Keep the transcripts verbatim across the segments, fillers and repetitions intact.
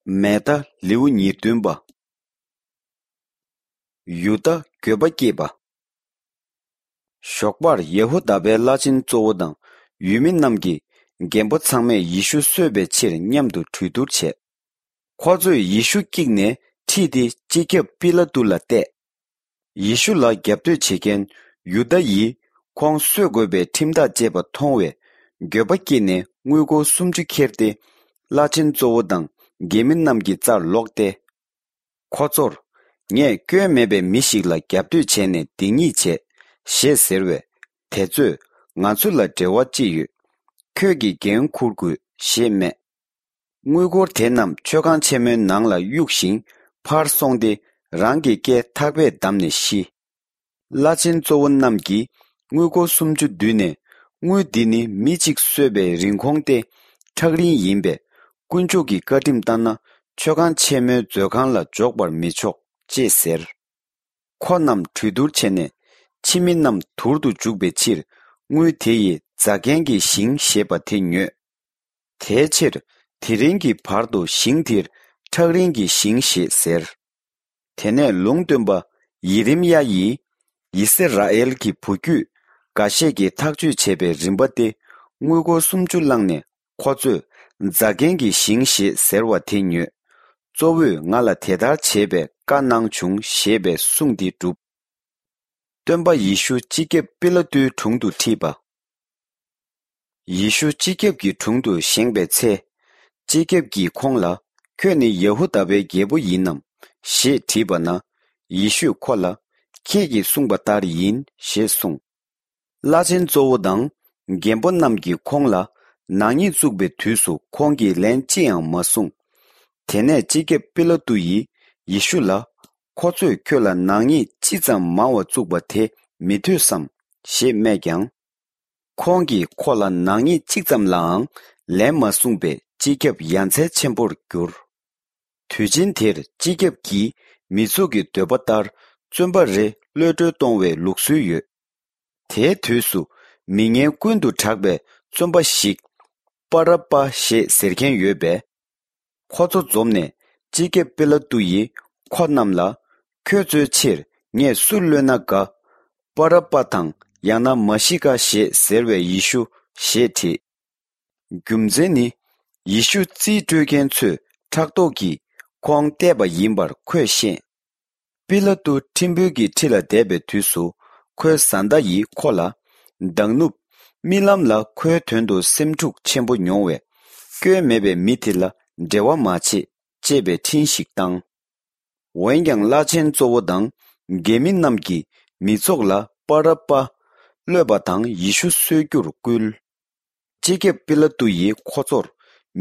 མེ་ད་ལེའུ་ཉེར་བདུན་པ། ཡུ་དཱ་འགྱོད་པ་སྐྱེས་པ། ཞོགས་པར་ཡ་ཧུ་དཱ་པའི་བླ་ཆེན་གཙོ་བོ་དང་ཡུལ་མི་རྣམས་ཀྱིས་རྒན་པོ་ཚང་མས་ཡེ་ཤུ་གསོད་པའི་ཕྱིར་མཉམ་དུ་གྲོས་བསྡུར་བྱས། ཁོ་ཚོས་ཡེ་ཤུ་བཀྱིགས་ནས་ཁྲིད་དེ་སྤྱི་ཁྱབ་པི་ལ་ཏུ་ལ་གཏད། ཡེ་ཤུ་ལ་རྒྱབ་གཏོད་བྱེད་མཁན་ཡུ་དཱ་ཡིས་ཁོང་གསོད་དགོས་པའི་ཁྲིམས་ཐག་བཅད་པ་མཐོང་བས་འགྱོད་པ་སྐྱེས་ནས་དངུལ་སྒོར་སུམ་ཅུ་ཁྱེར་ཏེ་བླ་ཆེན་གཙོ་བོ་དང་རྒྱལ་མི་རྣམས་ཀྱི་རྩར་ལོག་སྟེ། ཁོ་ཚོར། ངས་སྐྱོན་མེད་པའི་མི་ཞིག་ལ་རྒྱབ་གཏོད་བྱས་ནས་སྡིག་ཉེས་བྱས། ཞེས་ཟེར་བས། དེ་ཚོས། ང་ཚོ་ལ་འབྲེལ་བ་ཅི་ཡོད། ཁྱོད་ཀྱིས་འགན་འཁུར་དགོས། ཞེས་སྨྲས། དངུལ་སྒོར་དེ་རྣམས་མཆོད་ཁང་ཆེན་མོའི་ནང་ལ་གཡུགས་ཤིང་ཕར་སོང་སྟེ་རང་གི་སྐེ་ཐག་པས་བསྡམས་ནས་ཤི། བླ་ཆེན་གཙོ་བོ་རྣམས་ཀྱིས་དངུལ་སྒོར་སུམ་ཅུ་བསྡུས་ནས། དངུལ་འདི་ནི་མི་གཅིག་གསོད་པའི་རིན་གོང་སྟེ་ཁྲག་རིན་ཡིན་པས། དཀོན་མཆོག་གི་བཀའ་ཁྲིམས་ལྟར་ན་མཆོད་ཁང་ཆེན་མོའི་མཛོད་ཁང་ལ་འཇོག་པར་མི་ཆོག་ཅེས་ཟེར། ཁོ་རྣམས་གྲོས་བསྡུར་བྱས་ནས་ཕྱི་མི་རྣམས་དུར་དུ་འཇུག་པའི་ཕྱིར་དངུལ་དེ་ཡི་རྫ་མཁན་གྱི་ཞིང་ཞེས་པ་དེ་ཉོས། དེའི་ཕྱིར་དེ་རིང་གི་བར་དུ་ཞིང་དེར་ཁྲག་རིན་གྱི་ཞིང་ཞེས་ཟེར། དེ་ནས་ལུང་སྟོན་པ་ཡེ་རེམ་ཡ་ཡིས་ཡི་སི་ར་ཨེལ་གྱི་བུ་རྒྱུད་འགའ་ཤས་ཀྱིས་ཐག་གཅོད་བྱས་པའི་རིམ་པ་སྟེ་དངུལ་སྒོར་སུམ་ཅུ་བླངས་ནས། ཁོ་ཚོས་རྫ་མཁན་གྱི་ཞིང་ཞེས་ཟེར་བ་དེ་ཉོས། གཙོ་བོས་ང་ལ་དེ་ལྟར་བྱེད་པའི་བཀའ་གནང་བྱུང་ཞེས་པའི་གསུང་དེ་བསྒྲུབས། སྟོན་པ་ཡེ་ཤུ་སྤྱི་ཁྱབ་པི་ལ་ཏུའི་དྲུང་དུ་ཁྲིད་པ། ཡེ་ཤུ་སྤྱི་ཁྱབ་ཀྱི་དྲུང་དུ་བཞེངས་པའི་ཚེ། སྤྱི་ཁྱབ་ཀྱིས་ཁོང་ལ། ཁྱོད་ནི་ཡ་ཧུ་དཱ་པའི་རྒྱལ་པོ་ཡིན་ནམ། ཞེས་དྲིས་པ་ན། ཡེ་ཤུས་ཁོ་ལ། ཁྱེད་ཀྱིས་གསུངས་པ་ལྟར་ཡིན། ཞེས་གསུངས། བླ་ཆེན་གཙོ་བོ་དང་རྒན་པོ་རྣམས་ཀྱིས་ཁོང་ལ་ནག་ཉེས་བཙུགས་པའི་དུས་སུ་ཁོང་གིས་ལན་ཅི་ཡང་མ་གསུངས། དེ་ནས་སྤྱི་ཁྱབ་པི་ལ་ཏུ་ཡིས་ཡེ་ཤུ་ལ། ཁོ་ཚོས་ཁྱོད་ལ་ནག་ཉེས་ཅི་ཙམ་མང་བ་བཙུགས་པ་དེ་མི་ཐོས་སམ། ཞེས་སྨྲས་ཀྱང་། ཁོང་གིས་ཁོ་ལ་ནག་ཉེས་གཅིག་ཙམ་ལའང་ལན་མ་གསུངས་པས་སྤྱི་ཁྱབ་ཡ་མཚན་ཆེན་པོར་གྱུར། དུས་ཆེན་དེར་སྤྱི་ཁྱབ་ཀྱིས་མི་ཚོགས་ཀྱི་འདོད་པ་ལྟར་བཙོན་པ་རེ་གློད་གྲོལ་གཏོང་བའི་ལུགས་སྲོལ་ཡོད། དེའི་དུས་སུ་མི་ངན་ཀུན་ཏུ་གྲགས་པའི་བཙོན་པ་ཞིག་པ་ར་པ་ཞེས་ཟེར་མཁན་ཡོད་པས། ཁོ་ཚོ་འཛོམས་ནས་སྤྱི་ཁྱབ་པི་ལ་ཏུ་ཡིས་ཁོ་རྣམས་ལ། ཁྱོད་ཚོའི་ཕྱིར་ངས་སུ་གློད་ན་དགའ། པ་ར་པ་དང་ཡང་ན་མ་ཤི་ཀ་ཞེས་ཟེར་བའི་ཡེ་ཤུ་ཞེས་དྲིས། རྒྱུ་མཚན་ནི། ཡེ་ཤུ་རྩིས་སྤྲོད་མཁན་ཚོས་ཕྲག་དོག་གིས་ཁོང་བལྟས་པ་ཡིན་པར་ཁོས་ཤེས། པི་ལ་ཏུ་ཁྲིམས་དཔོན་གྱི་ཁྲི་ལ་བསྡད་པའི་དུས་སུ་ཁོའི་བཟའ་ཟླ་ཡིས་ཁོ་ལ། མདང་ནུབ་རྨི་ལམ་ལ་ཁོའི་དོན་དུ་སེམས་འཁྲུག་ཆེན་པོ་མྱོང་བས། སྐྱོན་མེད་པའི་མི་དེ་ལ་འབྲེལ་བ་མ་བྱེད། ཅེས་པའི་འཕྲིན་ཞིག་བཏང་། འོན་ཀྱང་བླ་ཆེན་གཙོ་བོ་དང་རྒྱལ་མི་རྣམས་ཀྱིས་མི་ཚོགས་ལ་པ་ར་པ་གློད་པ་དང་ཡེ་ཤུ་གསོད་རྒྱུར་བསྐུལ། སྤྱི་ཁྱབ་པི་ལ་ཏུ་ཡིས་ཁོ་ཚོར།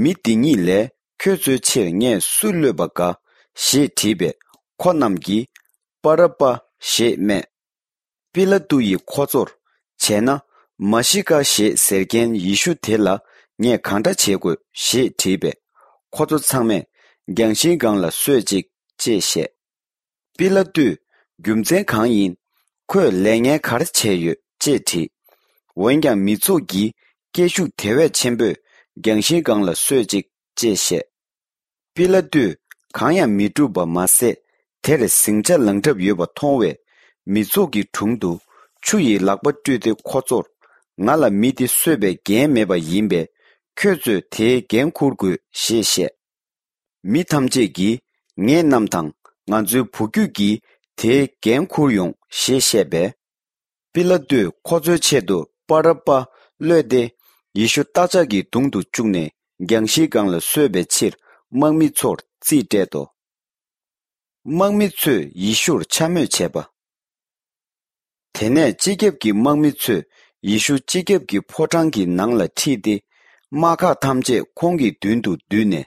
མི་འདི་གཉིས་ལས་ཁྱོད་ཚོའི་ཕྱིར་ངས་སུ་གློད་པ་དགའ། ཞེས་དྲིས་པས་ཁོ་རྣམས་ཀྱིས། པ་ར་པ་ཞེས་སྨྲས། པི་ལ་ཏུ་ཡིས་ཁོ་ཚོར། བྱས་ན། མ་ཤི་ཀ་ཞེས་ཟེར་མཁན་ཡེ་ཤུ་དེ་ལ་ངས་གང་འདྲ་བྱེད་དགོས། ཞེས་དྲིས་པས། ཁོ་ཚོ་ཚང་མས་རྒྱང་ཤིང་སྒང་ལ་གསོད་ཅིག་ཅེས་བཤད། པི་ལ་ཏུས། རྒྱུ་མཚན་གང་ཡིན། ཁོས་ལས་ངན་ག་རེ་བྱས་ཡོད། ཅེས་དྲིས། འོན་ཀྱང་མི་ཚོགས་ཀྱིས་སྐད་ཤུགས་དེ་བས་ཆེན་པོས་རྒྱང་ཤིང་སྒང་ལ་གསོད་ཅིག་ཅེས་བཤད། པི་ལ་ཏུས་གང་ཡང་མི་སྒྲུབ་པ་མ་ཟད། དེར་ཟིང་ཆ་ལངས་གྲབས་ཡོད་པ་མཐོང་བས། མི་ཚོགས་ཀྱི་དྲུང་དུ་ཆུ་ཡི་ལག་པ་སྤྲུལ་ཏེ་ཁོ་ཚོར། ང་ལ་མི་འདི་གསོད་པའི་འགན་མེད་པ་ཡིན་པས། ཁྱོད་ཚོས་དེའི་འགན་འཁུར་དགོས། ཞེས་བཤད། མི་ཐམས་ཅད་ཀྱིས་ངེད་རྣམས་དང་ང་ཚོའི་བུ་རྒྱུད་ཀྱིས་དེའི་འགན་འཁུར་ཡོང་ཞེས་བཤད་པས། པི་ལ་ཏུས་ཁོ་ཚོའི་ཆེད་དུ་པ་ར་པ་གློད་དེ་ཡེ་ཤུ་རྟ་ལྕག་གི་དུང་དུ་བཅུག་ནས་རྒྱང་ཤིང་སྒང་ལ་གསོད་པའི་ཕྱིར་དམག་མི་ཚོར་རྩིས་སྤྲད་དོ། དམག་མི་ཚོས་ཡེ་ཤུར་འཕྱ་སྨོད་བྱས་པ། དེ་ནས་སྤྱི་ཁྱབ་ཀྱི་དམག་མི་ཚོས་ཡེ་ཤུ་སྤྱི་ཁྱབ་ཀྱི་ཕོ་བྲང་གི་ནང་ལ་ཁྲིད་དེ། དམག་ཁག་ཐམས་ཅད་ཁོང་གི་མདུན་དུ་བསྡུས་ནས།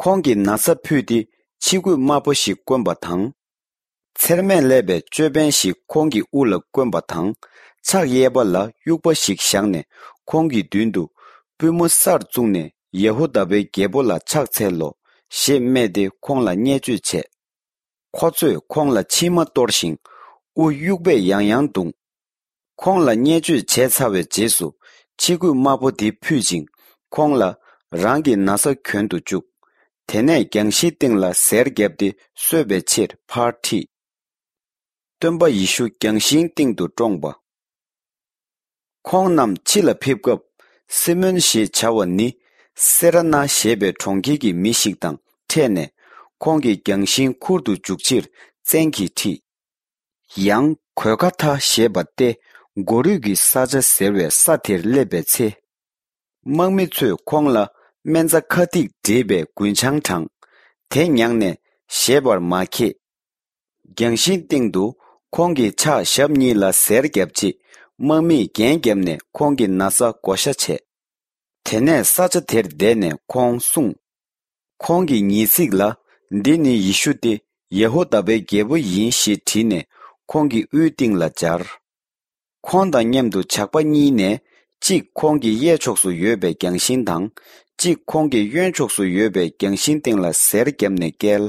ཁོང་གི་ན་བཟའ་ཕུད་དེ་ཕྱི་གོས་དམར་པོ་ཞིག་གོན་པ་དང་། ཚེར་མས་བསླས་པའི་ཅོད་པན་ཞིག་ཁོང་གི་དབུ་ལ་གོན་པ་དང་། ཕྱག་གཡས་པ་ལ་དབྱུག་པ་ཞིག་བཞག་ནས་ཁོང་གི་མདུན་དུ། པུས་མོ་སར་བཙུགས་ནས་ཡ་ཧུ་དཱ་པའི་རྒྱལ་པོ་ལ་ཕྱག་འཚལ་ལོ། ཞེས་སྨྲས་ཏེ་ཁོང་ལ་བརྙས་བཅོས་བྱས། ཁོ་ཚོས་ཁོང་ལ་མཆིལ་མ་གཏོར་ཞིང་། དབུ་དབྱུག་པས་ཡང་ཡང་བརྡུངས། ཁོང་ལ་བརྙས་བཅོས་བྱས་ཚར་བའི་རྗེས་སུ། ཕྱི་གོས་དམར་པོ་དེ་ཕུད་ཅིང་། ཁོང་ལ་རང་གི་ན་བཟའ་གྱོན་དུ་བཅུག་དེ་ནས་རྒྱང་ཤིང་སྟེང་ལ་གཟེར་བརྒྱབ་སྟེ་གསོད་པའི་ཕྱིར་ཕར་ཁྲིད། སྟོན་པ་ཡེ་ཤུ་རྒྱང་ཤིང་སྟེང་དུ་བཀྲོངས་པ། ཁོང་རྣམས་ཕྱི་ལ་ཕེབས་སྐབས། སི་མོན་ཞེས་བྱ་བ་ནི་སེ་ར་ན་ཞེས་པའི་གྲོང་ཁྱེར་གྱི་མི་ཞིག་དང་འཕྲད་ནས། ཁོང་གི་རྒྱང་ཤིང་ཁུར་དུ་འཇུག་ཕྱིར་བཙན་གྱིས་ཁྲིད། ཡང་གོད་ཁ་ཐ་ཞེས་པ་སྟེ་མགོ་རུས་ཀྱི་ས་ཆ་ཟེར་བའི་ས་དེར་སླེབས་པའི་ཚེ། དམག་མི་ཚོས་ཁོང་ལ་སྨན་རྩྭ་ཁ་ཐིག་འདྲེས་པའི་རྒུན་ཆང་དྲངས། དེ་མྱངས་ནས་བཞེས་པར་མ་མཁས། རྒྱང་ཤིང་སྟེང་དུ་ཁོང་གི་ཕྱག་ཞབས་གཉིས་ལ་གཟེར་བརྒྱབ་རྗེས། དམག་མིས་རྒྱན་བརྒྱབ་ནས་ཁོང་གི་ན་བཟའ་བགོ་བཤའ་བྱས། དེ་ནས་ས་ཆ་དེར་བསྡད་ནས་ཁོང་གསུངས། ཁོང་གིས་ཉིས་ཚིག་ལ། འདི་ནི་ཡེ་ཤུ་སྟེ་ཡེ་ཧུ་དཱ་པའི་རྒྱལ་པོ་ཡིན་ཞེས་བྲིས་ནས་ཁོང་གི་དབུའི་སྟེང་ལ་སྦྱར། ཁོང་དང་མཉམ་དུ་ཇག་པ་གཉིས་ནས་གཅིག་ཁོང་གི་གཡས་ཕྱོགས་སུ་ཡོད་པའི་རྒྱང་ཤིང་དང་། གཅིག་ཁོང་གི་གཡོན་ཕྱོགས་སུ་ཡོད་པའི་རྒྱང་ཤིང་སྟེང་ལ་གཟེར་བརྒྱབ་ནས་བཀལ།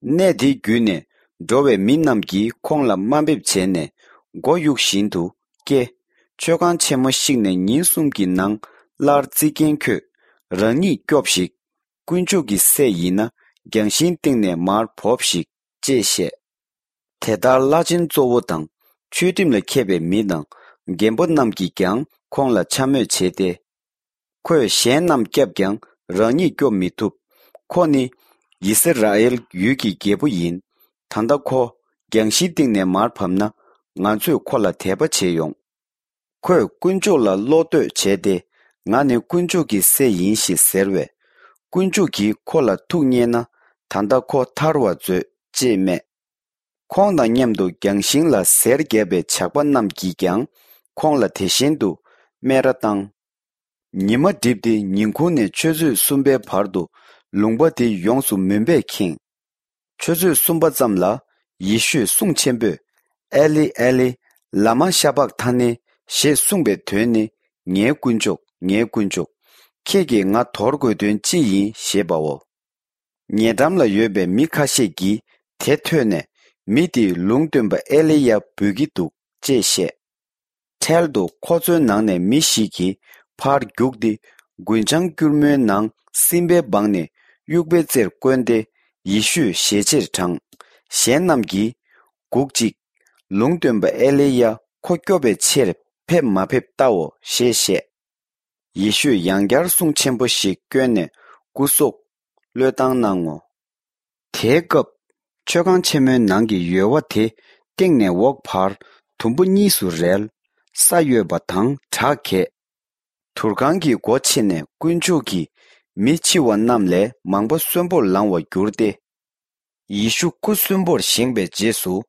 གནས་དེ་བརྒྱུད་ནས་འགྲོ་བའི་མི་རྣམས་ཀྱིས་ཁོང་ལ་དམའ་འབེབས་བྱས་ནས་མགོ་གཡུག་བཞིན་དུ་སྐྱེ། མཆོད་ཁང་ཆེན་མོ་བཤིག་ནས་ཉིན་གསུམ་གྱི་ནང་སླར་རྩིག་གྱེན་ཁོད། རང་ཉིད་སྐྱོབས་ཤིག། དཀོན་མཆོག་གི་སྲས་ཡིན་ན་རྒྱང་ཤིང་སྟེང་ནས་མར་བོབས་ཤིག་ཅེས་བཤད། དེ་ལྟར་བླ་ཆེན་གཙོ་བོ་དང་ཆོས་ཁྲིམས་ལ་མཁས་པའི་མི་དང་རྒན་པོ་རྣམས་ཀྱིས་ཀྱང་ཁོང་ལ་འཕྱ་སྨོད་བྱས་ཏེ། ཁོས་གཞན་རྣམས་བསྐྱབས་ཀྱང་རང་ཉིད་སྐྱོབ་མི་ཐུབ། ཁོ་ནི་ཡི་སི་ར་ཨེལ་ཡུལ་གྱི་རྒྱལ་པོ་ཡིན། ད་ལྟ་ཁོ་རྒྱང་ཤིང་སྟེང་ནས་མར་བབས་ན་ང་ཚོས་ཁོ་ལ་དད་པ་བྱེད་ཡོང་། ཁོས་དཀོན་མཆོག་ལ་བློ་གཏོད་བྱས་ཏེ། ང་ནི་དཀོན་མཆོག་གི་སྲས་ཡིན་ཞེས་ཟེར་བས། དཀོན་མཆོག་གིས་ཁོ་ལ་ཐུགས་མཉེས་ན་ད་ལྟ་ཁོ་ཐར་བར་མཛོད་ཅེས་སྨྲས། ཁོང་དང་མཉམ་དུ་རྒྱང་ཤིང་ལ་གཟེར་བརྒྱབ་པའི་ཇག་པ་རྣམས་ཀྱིས་ཀྱང་ཁོང་ལ་དེ་བཞིན་དུ་སྨད་ར་བཏང་། ཉི་མ་བསྒྲིབས་ཏེ་ཉིན་གུང་ནས་ཆུ་ཚོད་གསུམ་པའི་བར་དུ་ལུང་པ་དེ་ཡོངས་སུ་མུན་པས་ཁེངས། ཆུ་ཚོད་གསུམ་པ་ཙམ་ལ་ཡེ་ཤུས་གསུང་ཆེན་པོས། ཨེ་ལི་ཨེ་ལི། ལ་མ་ཤ་བག་ཐ་ནི། ཞེས་གསུངས་པའི་དོན་ནི། ངའི་དཀོན་མཆོག་ངའི་དཀོན་མཆོག་ཁྱེད་ཀྱིས་ང་དོར་དགོས་དོན་ཅི་ཡིན་ཞེས་པའོ། ཉེ་འགྲམ་ལ་ཡོད་པའི་མི་ཁ་ཤས་ཀྱིས་དེ་ཐོས་ནས། མི་དེས་ལུང་སྟོན་པ་ཨེ་ལི་ཡ་འབོད་ཀྱི་འདུག་ཅེས་བཤད། འཕྲལ་དུ་ཁོ་ཚོའི་ནང་ནས་མི་ཞིག་གིས་ཕར་རྒྱུགས་ཏེ། རྒུན་ཆང་སྐྱུར་མོའི་ནང་སྲིན་བལ་སྦངས་ནས་དབྱུག་པའི་རྩེར་བསྐོན་ཏེ། ཡེ་ཤུས་ཞལ་ཕྱིར་དྲངས། གཞན་རྣམས་ཀྱིས། སྒུག་ཅིག། ལུང་སྟོན་པ་ཨེ་ལི་ཡ་ཁོ་སྐྱོབ་པའི་ཕྱིར་ཕེབས་མ་ཕེབས་བལྟའོ་ཞེས་བཤད། ཡེ་ཤུས་ཡང་བསྐྱར་གསུང་ཆེན་པོ་ཞིག་བསྐྱོན་ནས་སྐུ་སྲོག་བློས་བཏང་གནང་ངོ་། དེའི་སྐབས། མཆོད་ཁང་ཆེན་མོའི་ནང་གི་ཡོལ་བ་དེ་སྟེང་ནས་འོག་བར་དུམ་བུ་གཉིས་སུ་རལ། ས་གཡོས་པ་དང་བྲག་གས། དུར་ཁང་གི་སྒོ་ཕྱེ་ནས་དཀོན་མཆོག་གིས་མི་འཆི་བ་རྣམས་ལས་མང་པོ་གསོན་པོར་ལང་བར་གྱུར་ཏེ། ཡེ་ཤུ་སྐུ་གསོན་པོར་བཞེངས་པའི་རྗེས་སུ།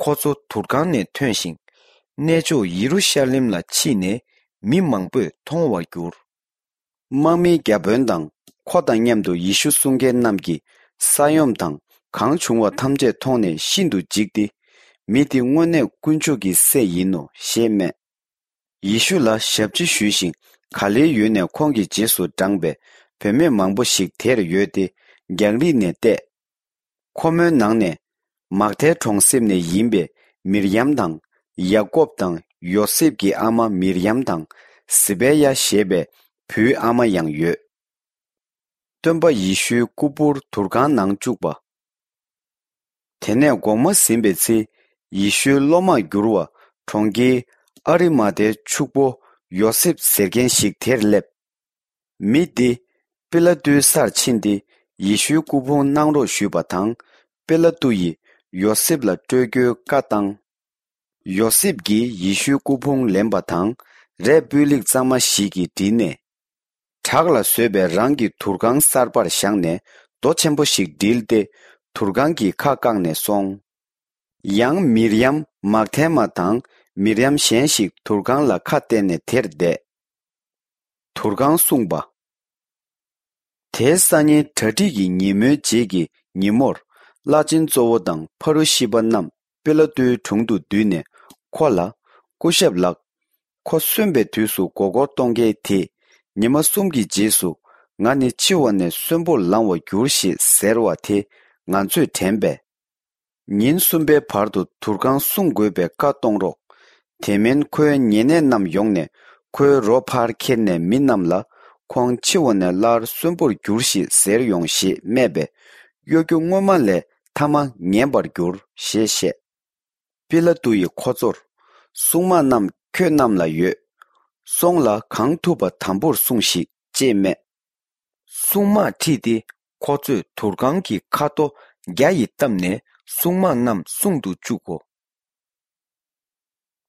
ཁོ་ཚོ་དུར་ཁང་ནས་ཐོན་ཞིང་། གནས་མཆོག་ཡེ་རུ་ཤ་ལེམ་ལ་ཕྱིན་ནས་མི་མང་པོས་མཐོང་བར་གྱུར། དམག་མིའི་བརྒྱ་དཔོན་དང་ཁོ་དང་མཉམ་དུ་ཡེ་ཤུ་སྲུང་མཁན་རྣམས་ཀྱིས་ས་ཡོམ་དང་གང་བྱུང་བ་ཐམས་ཅད་མཐོང་ནས་ཤིན་ཏུ་འཇིགས་ཏེ། མི་འདི་དངོས་གནས་དཀོན་མཆོག་གི་སྲས་ཡིན་ནོ་ཞེས་སྨྲས། ཡེ་ཤུ་ལ་ཞབས་ཕྱི་ཞུས་ཤིང་། ག་ལེའི་ཡུལ་ནས་ཁོང་གི་རྗེས་སུ་འབྲངས་པའི་བུད་མེད་མང་པོ་ཞིག་དེར་ཡོད་དེ། རྒྱང་རིང་ནས་བལྟས། ཁོ་མོའི་ནང་ནས་མག་དལ་གྲོང་གསེབ་ནས་ཡིན་པའི་མིར་ཡམ་དང་། ཡ་ཀོབ་དང་ཡོ་སེབ་ཀྱི་ཨ་མ་མིར་ཡམ་དང་། ཟི་བེ་ཡ་ཞེས་པའི་བུའི་ཨ་མ་ཡང་ཡོད། སྟོན་པ་ཡེ་ཤུའི་སྐུ་ཕུང་དུར་ཁང་ནང་བཅུག་པ། དེ་ནས་དགོང་མོ་ཟིན་པའི་ཚེ། ཡེ་ཤུའི་སློབ་མར་གྱུར་བ་གྲོང་ཁྱེར་ཨ་རི་མ་ཐའི་ཕྱུག་པོ་ཡོ་སེབ་ཟེར་མཁན་ཞིག་དེར་སླེབས། མི་འདི་པི་ལ་ཏུའི་སར་ཕྱིན་ཏེ། ཡེ་ཤུའི་སྐུ་ཕུང་གནང་རོགས་ཞུས་པ་དང་། པི་ལ་ཏུ་ཡིས་ཡོ་སེབ་ལ་སྤྲོད་རྒྱུའི་བཀའ་བཏང་། ཡོ་སེབ་ཀྱིས་ཡེ་ཤུའི་སྐུ་ཕུང་ལེན་པ་དང་། རས་སྤུས་ལེགས་གཙང་མ་ཞིག་གིས་བསྒྲིལ་ནས། བྲག་ལ་བཟོས་པའི་རང་གི་དུར་ཁང་གསར་པར་བཞག་ནས། རྡོ་ཆེན་པོ་ཞིག་སྒྲིལ་ཏེ། དུར་ཁང་གི་ཁ་བཀག་ནས་སོང་། ཡང་མིར་ཡམ་མག་དལ་མ་དང་མིར་ཡམ་གཞན་ཞིག་དུར་ཁང་ལ་ཁ་གཏད་ནས་དེར་བསྡད། དུར་ཁང་སྲུང་པ། དེའི་སང་ཉིན་གྲ་སྒྲིག་གི་ཉིན་མོའི་རྗེས་ཀྱི་ཉིན་མོར། བླ་ཆེན་གཙོ་བོ་དང་ཕ་རུ་ཤི་པ་རྣམས་པི་ལ་ཏུའི་དྲུང་དུ་འདུས་ནས་ཁོ་ལ། སྐུ་ཞབས་ལགས། ཁོ་གསོན་པའི་དུས་སུ་མགོ་སྐོར་གཏོང་མཁན་དེས། ཉི་མ་གསུམ་གྱི་རྗེས་སུ་ང་ནི་འཆི་བ་ནས་གསོན་པོར་ལང་བར་འགྱུར་ཞེས་ཟེར་བ་དེ་ང་ཚོས་དྲན་པས། ཉིན་གསུམ་པའི་བར་དུ་དུར་ཁང་སྲུང་དགོས་པའི་བཀའ་གཏོང་རོགས། དེ་མིན་ཁོའི་ཉེ་གནས་རྣམས་ཡོང་ནས་ཁོའི་རོ་ཕར་ཁྱེར་ནས་མི་རྣམས་ལ། ཁོང་འཆི་བ་ནས་སླར་གསོན་པོར་འགྱུར་ཞིག་ཟེར་ཡོང་ཞེས་སྨྲས་པས། གཡོ་སྒྱུ་སྔོན་མ་ལས་ཐ་མ་ངན་པར་འགྱུར་ཞེས་བཤད། པི་ལ་ཏུ་ཡིས་ཁོ་ཚོར། སྲུང་དམག་རྣམས་ཁྱོད་རྣམས་ལ་ཡོད། སོང་ལ་གང་ཐུབ་པ་དམ་པོར་སྲུངས་ཤིག་ཅེས་སྨྲས། སྲུང་དམག་ཁྲིད་དེ་ཁོ་ཚོས་དུར་ཁང་གི་ཁ་རྡོ་རྒྱ་ཡིས་བཏབ་ནས་སྲུང་དམག་རྣམས་སྲུང་དུ་བཅུག་གོ།